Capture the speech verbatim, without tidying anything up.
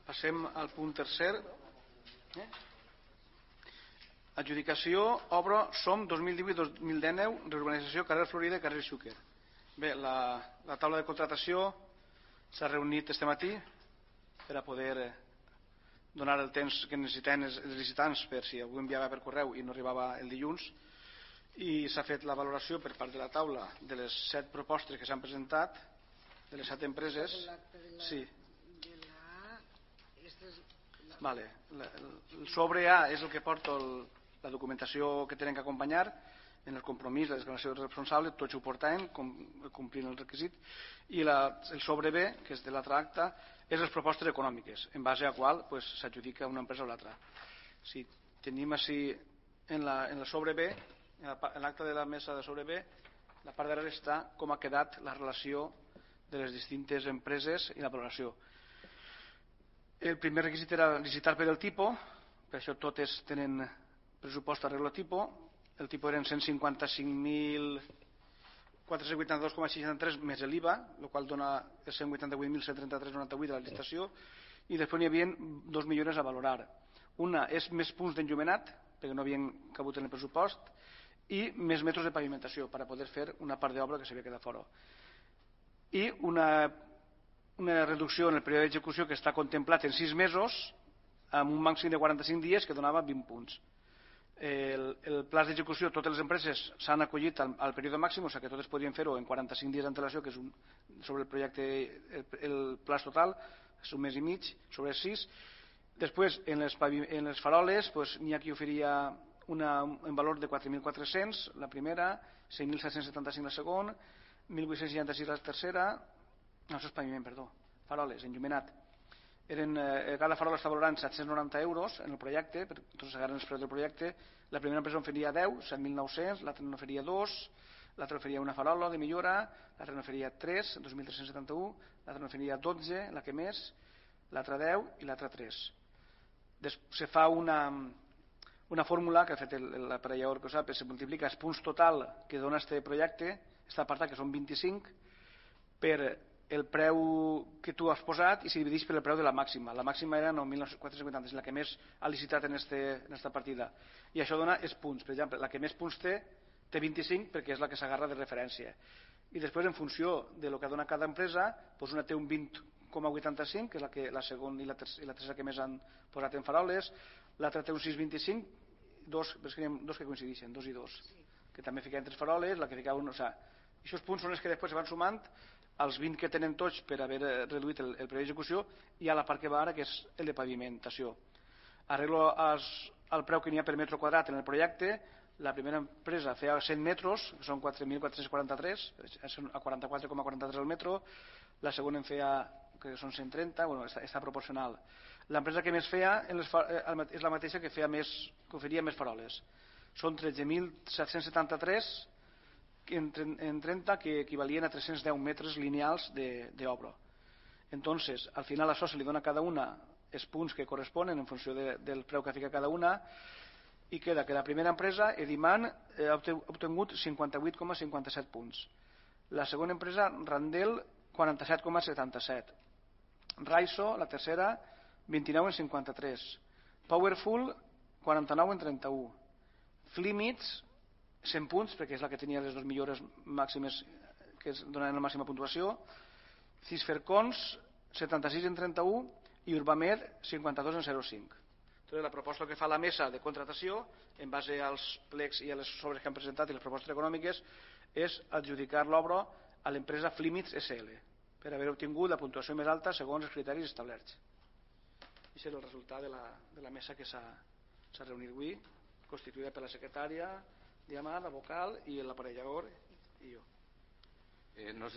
Passem al punt tercer. Eh? Adjudicació, obra, SOM dos mil divuit dos mil dinou, reurbanització, carrer Florida i carrer Xúquer. Bé, la, la taula de contratació s'ha reunit este matí per a poder donar el temps que necessiten els licitants per si algú enviava per correu i no arribava el dilluns, i s'ha fet la valoració per part de la taula de les set propostes que s'han presentat, de les set empreses. Sí. Vale. El sobre A és el que porta el, la documentació que tenen que acompanyar en el compromís, la declaració responsable, tots ho portaven complint el requisit, i la, el sobre B, que és de l'altre acte, és les propostes econòmiques, en base a qual pues, s'adjudica una empresa o l'altra. Si tenim així en, la, en el sobre B, en l'acte de la mesa de sobre B, la part darrere està com ha quedat la relació de les distintes empreses i la valoració. El primer requisit era licitar per el tipus, per això totes tenen pressupost a regla tipus. El tipus eren cent cinquanta-cinc mil quatre-cents vuitanta-dos coma seixanta-tres més l'I V A, el qual dona cent vuitanta-vuit mil cent trenta-tres coma noranta-vuit de la licitació, i després n'hi havia dos millores a valorar. Una és més punts d'enllumenat, perquè no havien cabut en el pressupost, i més metres de pavimentació per a poder fer una part d'obra que s'havia quedat fora. I una, una reducció en el període d'execució que està contemplat en sis mesos amb un màxim de quaranta-cinc dies que donava vint punts. El, el pla d'execució, totes les empreses s'han acollit al, al període màxim, o sigui que totes podien fer-ho en quaranta-cinc dies d'antelació, que és un, sobre el projecte, el, el pla total, és un mes i mig, sobre sis. Després, en les, en les faroles, pues, n'hi ha qui oferia una, en valor de quatre mil quatre-cents, la primera, cinc mil set-cents setanta-cinc la segona, mil vuit-cents seixanta-sis la tercera, no, això és paviment, perdó, faroles, enllumenat. Eren, eh, cada farola està valorant set-cents noranta euros en el projecte, per tots s'agarren els preus del projecte. La primera empresa en oferia deu, set mil nou-cents, l'altra en oferia dos, l'altra oferia una farola de millora, l'altra en oferia tres, dos mil tres-cents setanta-u, l'altra en oferia dotze, la que més, l'altra deu i l'altra tres. Des, se fa una, una fórmula que ha fet l'aparellador que ho sap, se multiplica els punts total que dona este projecte, està apartat que són vint-i-cinc, per el preu que tu has posat i se divideix per el preu de la màxima. La màxima era nou mil quatre-cents vuitanta, la que més ha licitat en aquesta partida. I això dona els punts. Per exemple, la que més punts té, té vint-i-cinc perquè és la que s'agarra de referència. I després, en funció de lo que dona cada empresa, doncs una té un vint coma vuitanta-cinc, que és la, que, la segona i la, tercera, i la tercera que més han posat en faroles, l'altra té un sis coma vint-i-cinc, dos, dos que coincideixen, dos i dos, que també ficaven tres faroles, la que ficava un... O sigui, aquests punts són els que després se van sumant als vint que tenen tots per haver reduït el, el preu d'execució, i a la part que va ara, que és el de pavimentació. Arreglo als, al preu que n'hi ha per metre quadrat en el projecte. La primera empresa feia cent metres, que són quatre mil quatre-cents quaranta-tres, a quaranta-quatre coma quaranta-tres al metro. La segona en feia, que són cent trenta, bueno, està, està proporcional. L'empresa que més feia en les, és la mateixa que, feia més, que oferia més faroles. Són tretze mil set-cents setanta-tres En, en trenta, que equivalien a tres-cents deu metres lineals d'obra. Entonces, al final això se li dona a cada una els punts que corresponen en funció de, del preu que fica cada una, i queda que la primera empresa, Ediman, ha obtingut cinquanta-vuit coma cinquanta-set punts. La segona empresa, Randel, quaranta-set coma setanta-set. Raiso, la tercera, vint-i-nou coma cinquanta-tres. Powerful, quaranta-nou coma trenta-u. Flimits, cent punts, perquè és la que tenia les dues millores màximes que donaven la màxima puntuació. Cisfercons, setanta-sis en trenta-u, i Urbamed, cinquanta-dos en zero coma cinc. Entonces, la proposta que fa la mesa de contratació, en base als plecs i a les sobres que han presentat i les propostes econòmiques, és adjudicar l'obra a l'empresa Flimits S L, per haver obtingut la puntuació més alta segons els criteris establerts. Aquest és el resultat de la, de la mesa que s'ha reunit avui, constituïda per la secretària, Diamant, la vocal i l'aparellador i jo. Eh, no sé